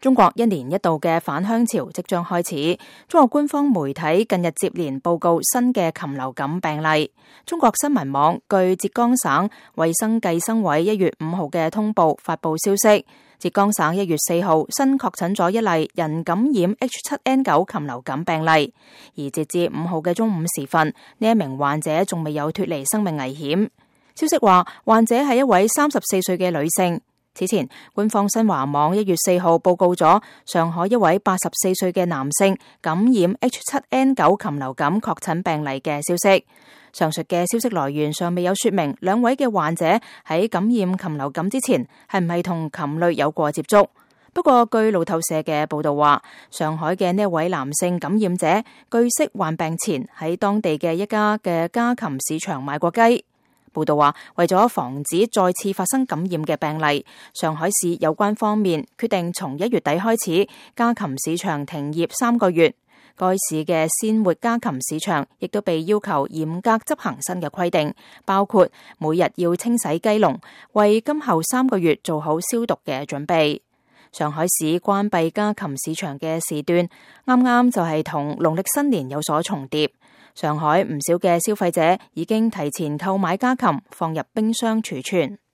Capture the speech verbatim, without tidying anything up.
中國一年一度嘅返鄉潮即將開始，中國官方媒體近日接連報告新嘅禽流感病例。中國新聞網據浙江省衛生計生委一月五號嘅通報發布消息，浙江省一月四號新確診咗一例人感染 H 七 N 九 禽流感病例，而截至五號嘅中午時分，呢一名患者仲未有脫離生命危險。消息話，患者係一位三十四歲嘅女性。此前，官方新華網一月四號報告咗上海一位八十四歲嘅男性感染 H 七 N 九 禽流感確診病例嘅消息。上述嘅消息來源尚未有說明兩位嘅患者喺感染禽流感之前係唔係同禽類有過接觸。不過，據路透社嘅報道話，上海嘅呢一位男性感染者據悉患病前喺當地嘅一家嘅家禽市場買過雞。報道話，為咗防止再次發生感染嘅病例，上海市有關方面決定從一月底開始，家禽市場停業三個月。該市嘅鮮活家禽市場亦都被要求嚴格執行新嘅規定，包括每日要清洗雞籠，為今後三個月做好消毒嘅準備。上海市關閉家禽市場嘅時段，啱啱就係同農曆新年有所重疊。上海唔少嘅消費者已經提前購買家禽，放入冰箱儲存。